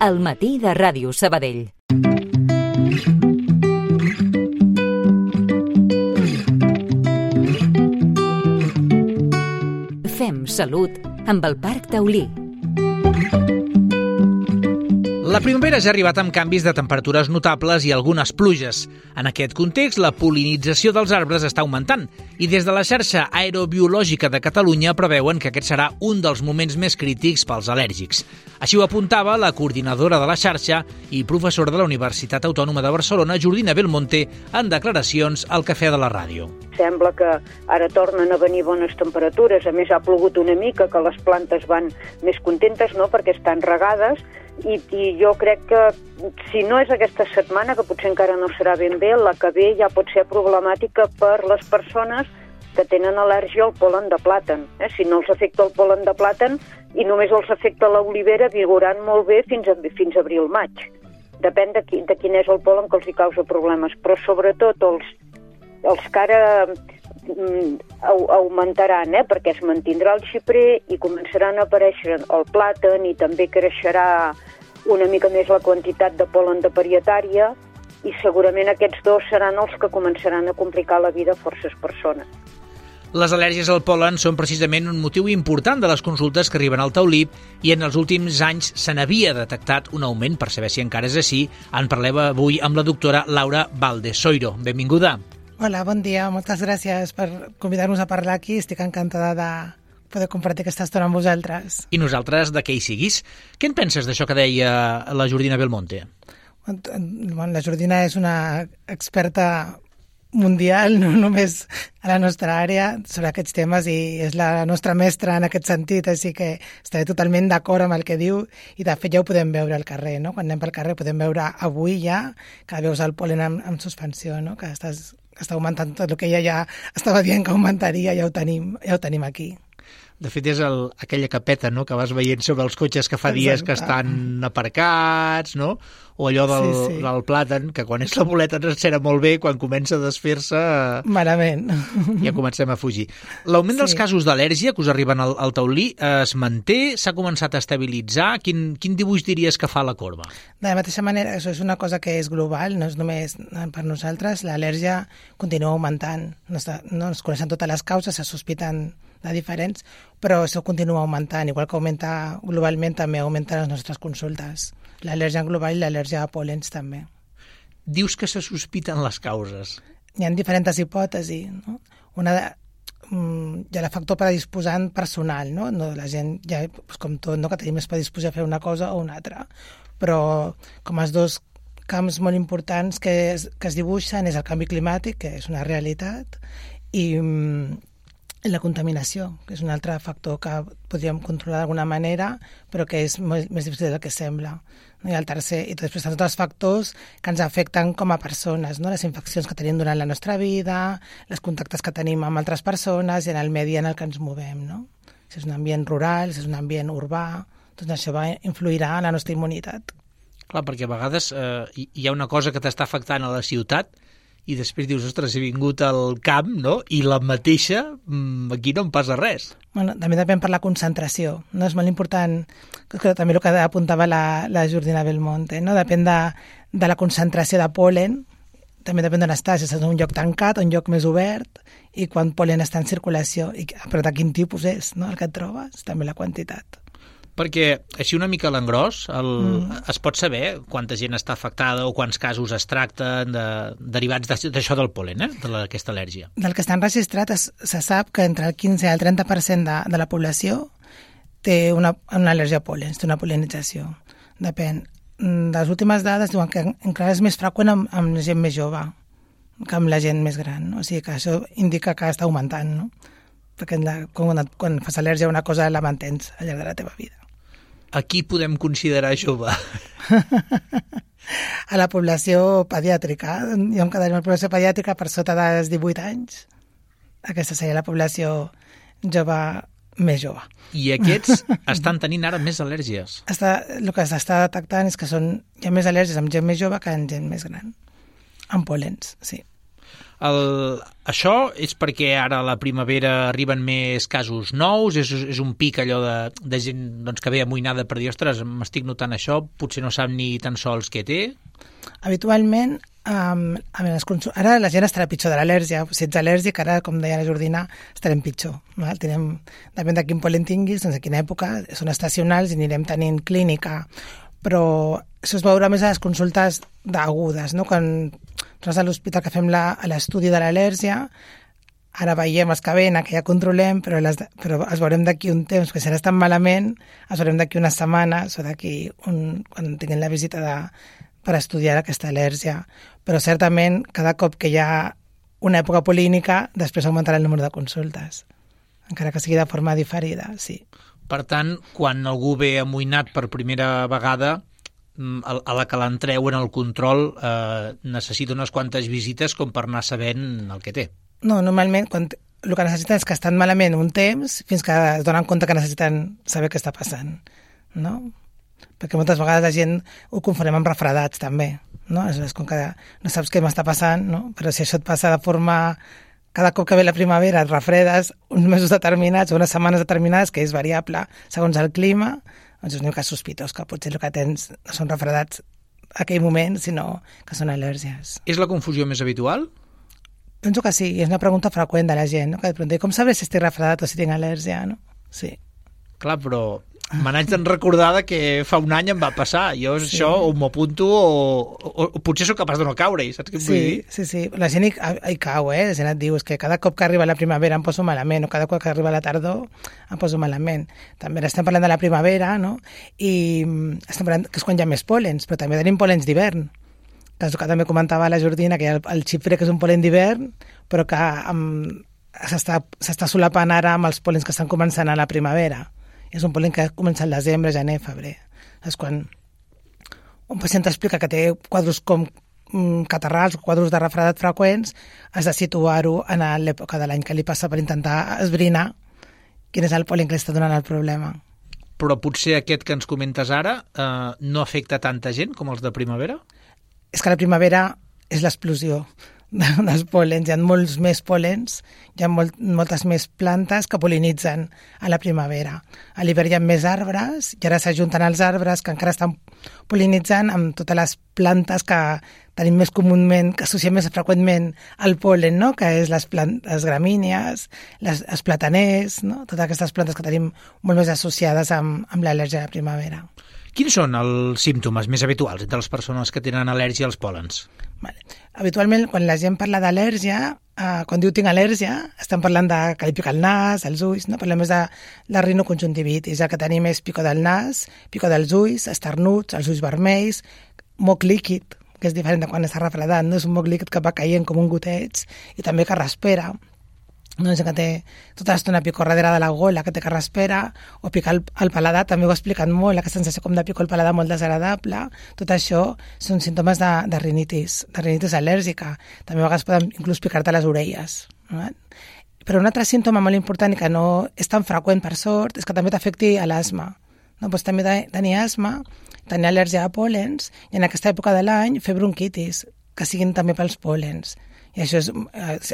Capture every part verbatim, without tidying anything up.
al matí de Ràdio Sabadell. Fem salut amb el Parc Taulí. La primavera ja ha arribat amb canvis de temperatures notables i algunes pluges. En aquest context, la pol·linització dels arbres està augmentant i des de la xarxa aerobiològica de Catalunya preveuen que aquest serà un dels moments més crítics pels al·lèrgics. Així ho apuntava la coordinadora de la xarxa i professora de la Universitat Autònoma de Barcelona, Jordina Belmonte, en declaracions al Cafè de la Ràdio. Sembla que ara tornen a venir bones temperatures, a més ha plogut una mica, que les plantes van més contentes, no?, perquè estan regades, i, i jo crec que si no és aquesta setmana, que potser encara no serà ben bé, la que ve ja pot ser problemàtica per les persones que tenen al·lèrgia al pol·len de plàtan. Eh? Si no els afecta el pol·len de plàtan i només els afecta l'olivera, viuran molt bé fins a, fins a abril-maig. Depèn de, qui, de quin és el pol·len que els hi causa problemes, però sobretot els, els que ara mm, augmentaran, eh? perquè es mantindrà el xiprer i començaran a aparèixer el plàtan i també creixerà una mica més la quantitat de pol·len de parietària i segurament aquests dos seran els que començaran a complicar la vida a forces persones. Les al·lèrgies al pol·len són precisament un motiu important de les consultes que arriben al taulí i en els últims anys se n'havia detectat un augment. Per saber si encara és així, en parlem avui amb la doctora Laura Valdesoiro. Benvinguda. Hola, bon dia. Moltes gràcies per convidar-nos a parlar aquí. Estic encantada de poder compartir aquesta estona amb vosaltres. I nosaltres de què hi siguis. Què en penses d'això que deia la Jordina Belmonte? Bueno, la Jordina és una experta mundial, no només a la nostra àrea, sobre aquests temes, i és la nostra mestra en aquest sentit, així que estaré totalment d'acord amb el que diu, i de fet ja ho podem veure al carrer, no? Quan anem pel carrer podem veure avui ja que veus el pol·len en, en suspensió, no? Que estàs, està augmentant tot el que ella ja estava dient que augmentaria, ja ho tenim, ja ho tenim aquí. De fet, és el, aquella capeta, no?, que vas veient sobre els cotxes que fa dies que estan aparcats, no?, o allò del, sí, sí. del plàtan, que quan és la boleta ens encera molt bé, quan comença a desfer-se... Malament. Ja comencem a fugir. L'augment sí. dels casos d'al·lèrgia que us arriben al, al taulí es manté? S'ha començat a estabilitzar? Quin, quin dibuix diries que fa la corba? De la mateixa manera, això és una cosa que és global, no és només per nosaltres. L'al·lèrgia continua augmentant. No, està, no es coneixen totes les causes, se sospiten de diferents, però això continua augmentant. Igual que augmenta globalment, també augmenten les nostres consultes. L'al·lèrgia global i l'al·lèrgia a pol·lens també. Dius que se sospiten les causes. Hi ha diferents hipòtesis, no? Una de, mm, hi ha el factor predisposant personal, no? No, la gent, ja, doncs com tot, no? Que tenim més predisposició a fer una cosa o una altra. Però com els dos camps molt importants que es, que es dibuixen és el canvi climàtic, que és una realitat, i mm, la contaminació, que és un altre factor que podríem controlar d'alguna manera, però que és més, més difícil del que sembla. No? I el tercer, i després tots els factors que ens afecten com a persones, no? Les infeccions que tenim durant la nostra vida, els contactes que tenim amb altres persones i en el medi en el que ens movem, no? Si és un ambient rural, si és un ambient urbà, doncs això va influirà en la nostra immunitat. Clar, perquè a vegades eh, hi ha una cosa que t'està afectant a la ciutat i després dius, ostres, he vingut al camp, no?, i la mateixa, aquí no em passa res. Bueno, també depèn per la concentració, no? És molt important, que també el que apuntava la, la Jordina Belmonte, no? Depèn de, de la concentració de pol·len, també depèn d'on estàs, si estàs en un lloc tancat o un lloc més obert, i quan pol·len està en circulació, i, però de quin tipus és, no?, el que et trobes, també la quantitat. Perquè així una mica a l'engròs el, mm. es pot saber quanta gent està afectada o quants casos es tracten de, derivats d'això del pol·len, eh? d'aquesta al·lèrgia. Del que està enregistrat es, se sap que entre el quinze i el trenta per cent de, de la població té una, una al·lèrgia a pol·len, té una pol·lenització. Depèn. De les últimes dades diuen que encara és més freqüent amb, amb la gent més jove que amb la gent més gran. No? O sigui que això indica que està augmentant, no? Perquè la, quan, quan fas al·lèrgia a una cosa la mantens al llarg de la teva vida. A qui podem considerar jove? A la població pediàtrica. Jo em quedaria amb la població pediàtrica per sota dels divuit anys. Aquesta seria la població jove més jove. I aquests estan tenint ara més al·lèrgies? Està, el que s'està detectant és que són, hi ha més al·lèrgies amb gent més jove que amb gent més gran. Amb pol·lens, sí. El, això és perquè ara a la primavera arriben més casos nous, és, és un pic allò de, de gent doncs, que ve amoïnada per dir, ostres, m'estic notant això, potser no sap ni tan sols què té? Habitualment, um, a veure, les consul... ara la gent estarà pitjor de l'al·lèrgia. Si ets al·lèrgic, ara, com deia la Jordina, estarem pitjor. Val? Tenem, depèn de quin pol·len tinguis, doncs a quina època, són estacionals i anirem tenint clínica. Però això es veurà més a les consultes d'agudes, no? Quan nosaltres a l'hospital que fem la, l'estudi de l'al·lèrgia, ara veiem els que venen, que ja controlem, però, les, però els veurem d'aquí un temps, que si ara estan malament, els veurem d'aquí unes setmanes o d'aquí un, quan tinguem la visita de, per estudiar aquesta al·lèrgia. Però certament, cada cop que hi ha una època polínica, després augmentarà el número de consultes, encara que sigui de forma diferida, sí. Per tant, quan algú ve amoïnat per primera vegada, a la que l'entreu en el control eh, necessita unes quantes visites com per anar sabent el que té. No, normalment quan el que necessiten és que estan malament un temps fins que es donen compte que necessiten saber què està passant, no? Perquè moltes vegades la gent ho confonem amb refredats també, no? És com que no saps què m'està passant, no? Però si això et passa de forma... Cada cop que ve la primavera et refredes uns mesos determinats o unes setmanes determinades, que és variable segons el clima, doncs és un cas sospitós que potser el que tens no són refredats a aquell moment, sinó que són al·lèrgies. És la confusió més habitual? Penso que sí, és una pregunta freqüent de la gent, no? Que et pregunta, com sabré si estic refredat o si tinc al·lèrgia, no? Sí. Clar, però me n'haig de recordar que fa un any em va passar. Jo sí. Això o m'ho apunto o, o, o potser sóc capaç de no caure-hi, saps què em sí, vull dir? Sí, sí, la gent hi, hi cau, eh? La gent et diu, és que cada cop que arriba la primavera em poso malament, o cada cop que arriba la tardor em poso malament. També estem parlant de la primavera, no? I estem parlant que és quan hi ha més pòlens, però també tenim pòlens d'hivern, que és el que també comentava la Jordina, que hi ha el, el xipre, que és un pol·len d'hivern, però que um, s'està, s'està solapant ara amb els pòlens que estan començant a la primavera. És un pol·len que comença al desembre, gener, febrer. És quan un pacient explica que té quadros com mm, catarrals o quadros de refredat freqüents, has de situar-ho en l'època de l'any que li passa per intentar esbrinar quin és el pol·len que li està donant el problema. Però potser aquest que ens comentes ara eh, no afecta tanta gent com els de primavera? És que la primavera és l'explosió dels pòl·lens, hi ha molts més pòl·lens, hi ha molt, moltes més plantes que pol·linitzen a la primavera. A l'hivern hi ha més arbres i ara s'ajunten els arbres que encara estan pol·linitzant amb totes les plantes que tenim més comúment, que associem més freqüentment al pol·len, no? Que és les, plant- les gramínies, les, els plataners, no? Totes aquestes plantes que tenim molt més associades amb, amb l'al·lèrgia de la primavera. Quins són els símptomes més habituals entre les persones que tenen al·lèrgia als pòl·lens? Vale. Habitualment, quan la gent parla d'al·lèrgia, eh, quan diu tinc al·lèrgia, estan parlant de que li pica el nas, els ulls, no? Parlem més de la rinoconjuntivitis. El que tenim és pico del nas, pico dels ulls, esternuts, els ulls vermells, moc líquid, que és diferent de quan està refredat, no? És un moc líquid que va caient com un goteig i també que respira. No? És que té tota l'estona picor darrere de la gola, que té que respira, o picar el, el paladar, també ho ha explicat molt, aquesta sensació com de picor al paladar molt desagradable. Tot això són símptomes de, de rinitis, de rinitis al·lèrgica. També a vegades poden inclús picar-te les orelles. No? Però un altre símptoma molt important i que no és tan freqüent per sort és que també t'afecti a l'asma. No? Pots també tenir asma, tenir al·lèrgia a pòl·lens i en aquesta època de l'any fer bronquitis, que siguin també pels pòl·lens. I això és,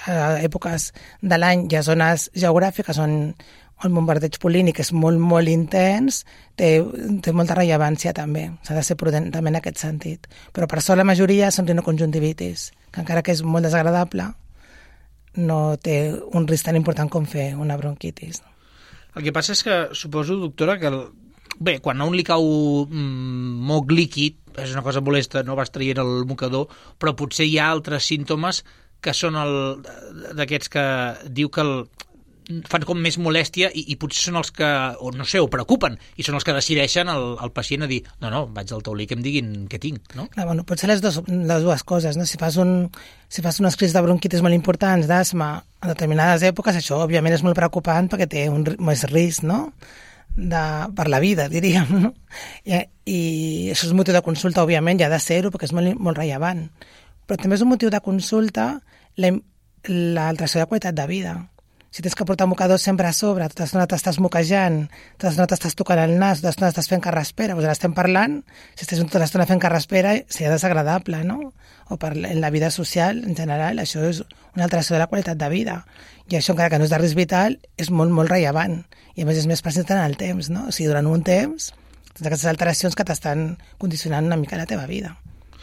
a èpoques de l'any hi ha zones geogràfiques on el bombardeig pol·línic és molt, molt intens, té, té molta rellevància també. S'ha de ser prudent també en aquest sentit. Però per sort la majoria són rinoconjuntivitis, que encara que és molt desagradable, no té un risc tan important com fer una bronquitis. El que passa és que suposo, doctora, que el... bé, quan a un li cau mm, moc líquid, és una cosa molesta, no vas traient el mocador, però potser hi ha altres símptomes que són el, d'aquests que diu que el, fan com més molèstia i, i potser són els que, o no sé, ho preocupen, i són els que decideixen el, el pacient a dir, no, no, vaig al taulí que em diguin què tinc, no? Clar, bueno, pot ser les, dos, les dues coses, no? Si fas, un, si fas unes crisis de bronquitis molt importants, d'asma, en determinades èpoques, això òbviament és molt preocupant perquè té un més risc, no?, de, per la vida, diríem, no? I, i això és motiu de consulta, òbviament, ja ha de ser-ho perquè és molt, molt rellevant. Però també és un motiu de consulta l'alteració de qualitat de vida. si tens que portar mocadors sempre a sobre, tota l'estona t'estàs moquejant, tota l'estona t'estàs tocant el nas, tota l'estona estàs fent carraspera, doncs ara estem parlant, si estàs tota l'estona fent carraspera, seria desagradable, no? O per en la vida social, en general, això és una alteració de la qualitat de vida. I això, encara que no és de risc vital, és molt, molt rellevant. I a més és més present en el temps, no? O sigui, durant un temps, tens aquestes alteracions que t'estan condicionant una mica la teva vida.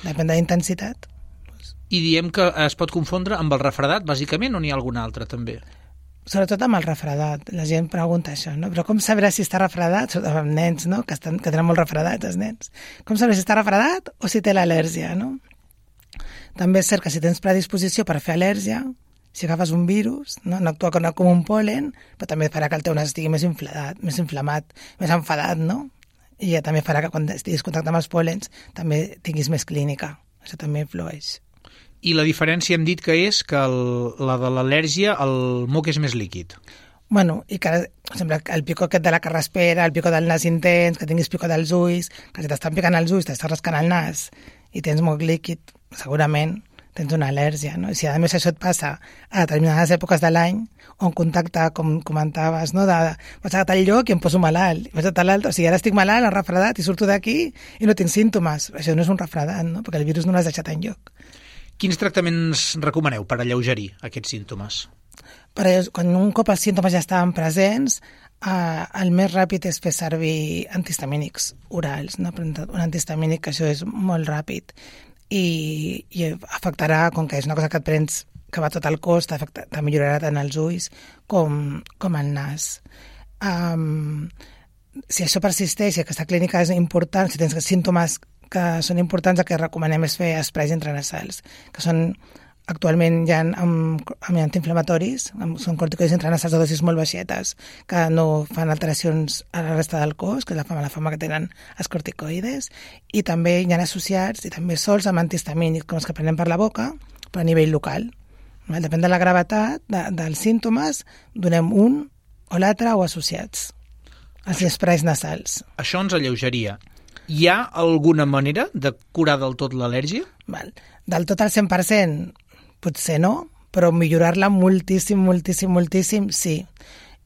Depèn de la intensitat. I diem que es pot confondre amb el refredat, bàsicament, o n'hi ha algun altre, també? Sobretot amb el refredat. La gent pregunta això, no? Però com sabrà si està refredat? Sobretot amb nens, no? Que, estan, que tenen molt refredats, els nens. Com sabrà si està refredat o si té l'al·lèrgia, no? També és cert que si tens predisposició per fer al·lèrgia, si agafes un virus, no, no actua com, com un pol·len, però també farà que el teu nas estigui més inflamat, més inflamat, més enfadat, no? I ja també farà que quan estiguis en contacte amb els pol·lens també tinguis més clínica. Això també influeix. I la diferència hem dit que és que el, la de l'al·lèrgia, el moc és més líquid. Bueno, i que sembla el picó aquest de la carraspera, el picó del nas intens, que tinguis picó dels ulls, que si t'estan picant els ulls, t'estàs rascant el nas i tens moc líquid, segurament tens una al·lèrgia, no? I si a més això et passa a determinades èpoques de l'any, on contacte, com comentaves, no? De, vaig a tal lloc i em poso malalt, vaig a tal altre, o sigui, ara estic malalt, em refredat, i surto d'aquí i no tinc símptomes. Això no és un refredat, no? Perquè el virus no l'has deixat enlloc. Quins tractaments recomaneu per alleugerir aquests símptomes? Per quan un cop els símptomes ja estaven presents, eh, el més ràpid és fer servir antihistamínics orals, no? Un antihistamínic, que això és molt ràpid i, i afectarà, com que és una cosa que et prens que va tot el cos, te millorarà tant els ulls com, com el nas. Um, si això persisteix, si aquesta clínica és important, si tens símptomes que són importants, el que recomanem és fer esprais intranasals, que són actualment ja amb, amb antiinflamatoris, amb, són corticoides intranasals de dosis molt baixetes, que no fan alteracions a la resta del cos, que és la fama, la fama que tenen els corticoides, i també hi ha associats, i també sols amb antihistamínics, com els que prenem per la boca, però a nivell local. Depèn de la gravetat de, dels símptomes, donem un o l'altre o associats, els esprais nasals. Això ens alleugeria. Hi ha alguna manera de curar del tot l'al·lèrgia? Val. Del tot al cent per cent potser no, però millorar-la moltíssim, moltíssim, moltíssim, sí.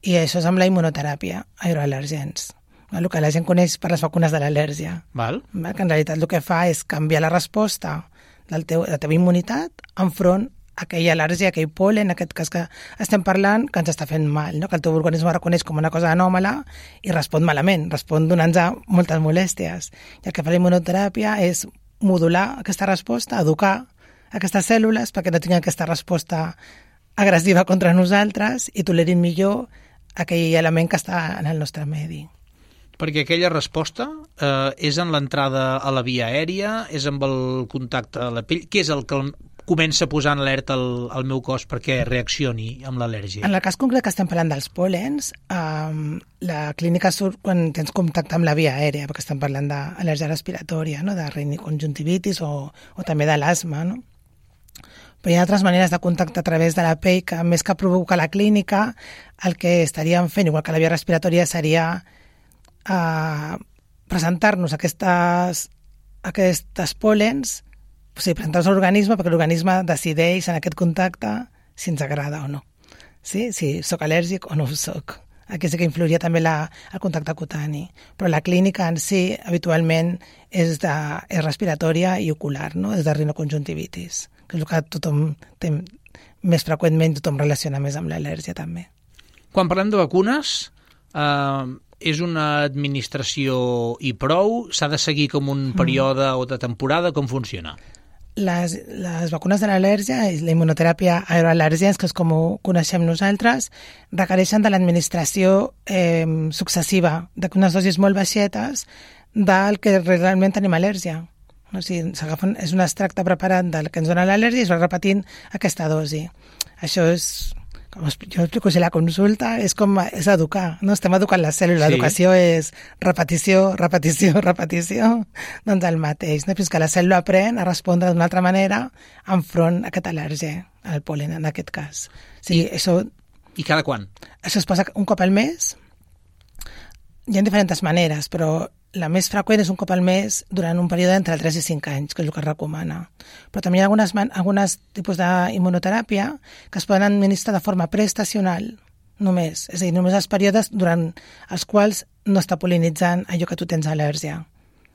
I això és amb la immunoteràpia, aeroal·lèrgens. El que la gent coneix per les vacunes de l'al·lèrgia. Val. Que en realitat el que fa és canviar la resposta del teu, de la teva immunitat enfront aquella al·lèrgia, aquell pol·len, en aquest cas que estem parlant, que ens està fent mal, no? Que el teu organisme reconeix com una cosa anòmala i respon malament, respon donant-nos moltes molèsties. I el que fa la immunoteràpia és modular aquesta resposta, educar aquestes cèl·lules perquè no tinguin aquesta resposta agressiva contra nosaltres i tolerin millor aquell element que està en el nostre medi. Perquè aquella resposta eh, és en l'entrada a la via aèria, és amb el contacte a la pell, què és el que comença a posar en alerta el, el meu cos perquè reaccioni amb l'al·lèrgia? En el cas concret que estem parlant dels pol·lens, um, la clínica surt quan tens contacte amb la via aèria, perquè estem parlant d'al·lèrgia respiratòria, no? De riniconjuntivitis o, o també de l'asma, no? Però hi ha altres maneres de contacte a través de la pell que, més que provocar la clínica, el que estaríem fent, igual que la via respiratòria, seria uh, presentar-nos aquestes, aquestes pol·lens, o sigui, presentar-nos a l'organisme perquè l'organisme decideix en aquest contacte si ens agrada o no. Sí? Si soc al·lèrgic o no ho soc. Aquí sí que influiria també la, el contacte cutani. Però la clínica en si, habitualment, és, de, és respiratòria i ocular, no? És de rinoconjuntivitis, que és el que tothom té més freqüentment, tothom relaciona més amb l'al·lèrgia també. Quan parlem de vacunes, eh, és una administració i prou? S'ha de seguir com un període mm. o de temporada? Com funciona? Les, les vacunes de l'al·lèrgia i la immunoteràpia aeroal·lèrgens, que és com ho coneixem nosaltres, requereixen de l'administració eh, successiva d'unes dosis molt baixetes del que realment tenim al·lèrgia. O sigui, és un extracte preparat del que ens dona l'al·lèrgia i es va repetint aquesta dosi. Això és... Com jo explico si la consulta, és com és educar, no? Estem educant la cèl·lula, l'educació sí. És repetició, repetició, repetició, doncs el mateix, no? Fins que la cèl·lula aprèn a respondre d'una altra manera enfront a aquest al·lèrgia, al pol·len en aquest cas. O sigui, I, això, I cada quan? Això es passa un cop al mes. Hi ha diferents maneres, però la més freqüent és un cop al mes durant un període entre tres i cinc anys, que és el que es recomana. Però també hi ha algunes, algunes tipus d'immunoteràpia que es poden administrar de forma preestacional, només. És a dir, només els períodes durant els quals no està pol·linitzant allò que tu tens al·lèrgia.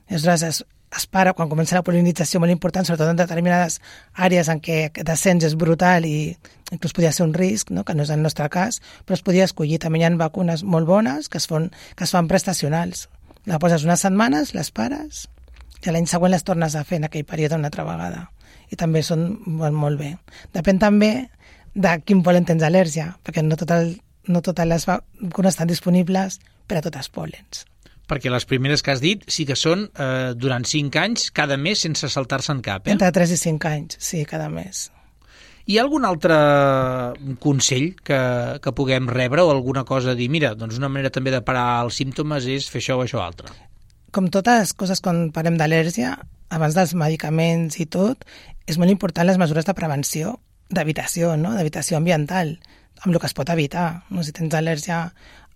I aleshores es, es para, quan comença la pol·linització molt important, sobretot en determinades àrees en què aquest descens és brutal i inclús podria ser un risc, no? Que no és el nostre cas, però es podia escollir. També hi ha vacunes molt bones que es fan, que es fan prestacionals. La poses unes setmanes, les pares, i l'any següent les tornes a fer en aquell període una altra vegada. I també són molt, molt bé. Depèn també de quin pol·len tens al·lèrgia, perquè no, tot el, no totes les vacunes estan disponibles per a tots els pol·lens. Perquè les primeres que has dit sí que són eh, durant cinc anys, cada mes, sense saltar-se'n cap, eh? Entre tres i cinc anys, sí, cada mes. Hi ha algun altre consell que, que puguem rebre o alguna cosa a dir, mira, doncs una manera també de parar els símptomes és fer això o això altre? Com totes les coses quan parlem d'al·lèrgia, abans dels medicaments i tot, és molt important les mesures de prevenció, d'evitació, no? D'evitació ambiental, amb el que es pot evitar. No? Si tens al·lèrgia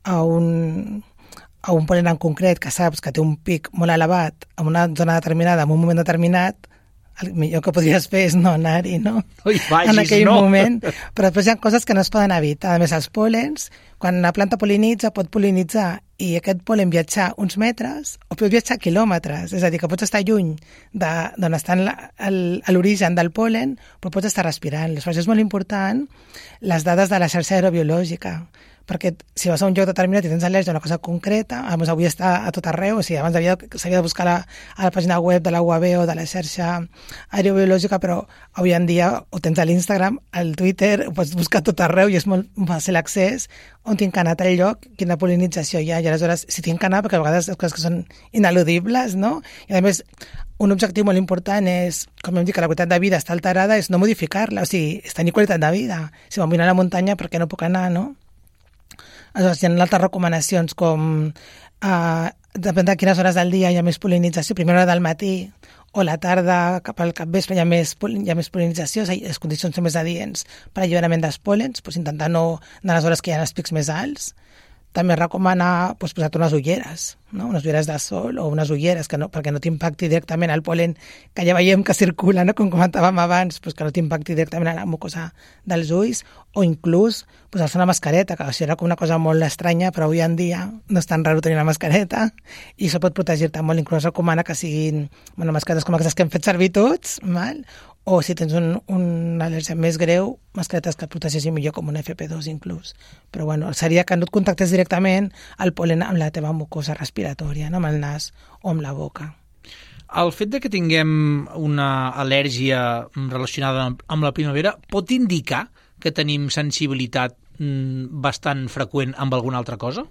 a un... a un pol·len en concret que saps que té un pic molt elevat en una zona determinada, en un moment determinat, el millor que podries fer és no anar-hi, no? No hi vagis, en aquell no? moment. Però després hi ha coses que no es poden evitar. A més, els pol·lens, quan una planta pol·linitza, pot pol·linitzar i aquest pol·len viatjar uns metres o pot viatjar quilòmetres. És a dir, que pots estar lluny d'on està l'origen del pol·len, però pots estar respirant. Aleshores, és molt important les dades de la xarxa aerobiològica, perquè si vas a un lloc determinat i tens al·lèrgia a una cosa concreta, doncs avui està a tot arreu, o sigui, abans s'havia de buscar la, a la pàgina web de la U A B o de la xarxa aerobiològica, però avui en dia ho tens a l'Instagram, al Twitter, ho pots buscar a tot arreu i és molt fàcil l'accés, on tinc anat al lloc, quina pol·linització hi ha, i aleshores si tinc anat, perquè a vegades les coses que són ineludibles, no? I a més, un objectiu molt important és, com hem dit, que la qualitat de vida està alterada, és no modificar-la, o sigui, és tenir qualitat de vida. Si vam anar a la muntanya, per què no puc anar, no? Aleshores, hi ha altres recomanacions com eh, depèn de quines hores del dia hi ha més pol·linització, primera hora del matí o la tarda cap al capvespre hi ha més, hi ha més pol·linització, les condicions són més adients per alliberament dels pol·lens, doncs intentar no anar a les hores que hi ha els pics més alts. També recomana doncs, posar-te unes ulleres, no? Unes ulleres de sol o unes ulleres que no, perquè no t'impacti directament el pol·len que ja veiem que circula, no? Com comentàvem abans, doncs, que no t'impacti directament a la mucosa dels ulls, o inclús posar-se una mascareta, que això era com una cosa molt estranya, però avui en dia no és tan raro tenir una mascareta i això pot protegir-te molt. Inclús recomana que siguin bueno, mascaretes com aquestes que hem fet servir tots, mal? O si tens un, una al·lèrgia més greu, mascaretes que et protegeixin millor com un F P dos inclús. Però bueno, seria que no et contactes directament el pol·len amb la teva mucosa respiratòria, no? Amb el nas o amb la boca. El fet de que tinguem una al·lèrgia relacionada amb la primavera pot indicar que tenim sensibilitat bastant freqüent amb alguna altra cosa?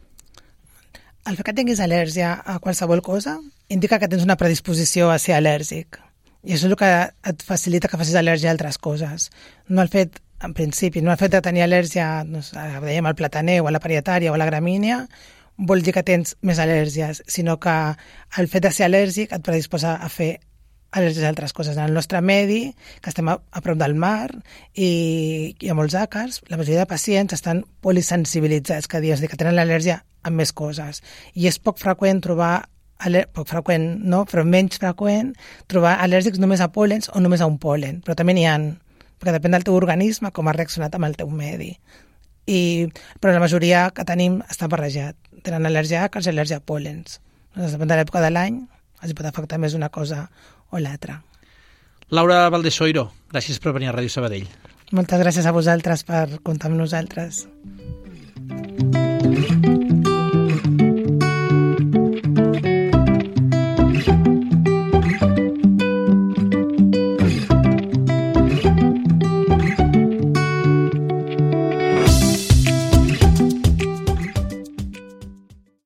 El fet que tinguis al·lèrgia a qualsevol cosa indica que tens una predisposició a ser al·lèrgic. I això és el que et facilita que facis al·lèrgia a altres coses. No el fet, en principi, no el fet de tenir al·lèrgia, no sé, dèiem, al plataner o a la parietària o a la gramínia, vol dir que tens més al·lèrgies, sinó que el fet de ser al·lèrgic et predisposa a fer al·lèrgies a altres coses. En el nostre medi, que estem a, a prop del mar i hi ha molts àcars, la majoria de pacients estan polisensibilitzats, que dius, que tenen l'al·lèrgia amb més coses. I és poc freqüent trobar poc freqüent, no? Però menys freqüent trobar al·lèrgics només a pol·lens o només a un pol·len, però també n'hi ha, perquè depèn del teu organisme com ha reaccionat amb el teu medi. I, però la majoria que tenim està barrejat. Tenen al·lèrgia a àcars i al·lèrgia a pol·lens. Doncs depèn de l'època de l'any, els pot afectar més una cosa o l'altra. Laura Valdesoiro, gràcies per venir a Ràdio Sabadell. Moltes gràcies a vosaltres per comptar amb nosaltres.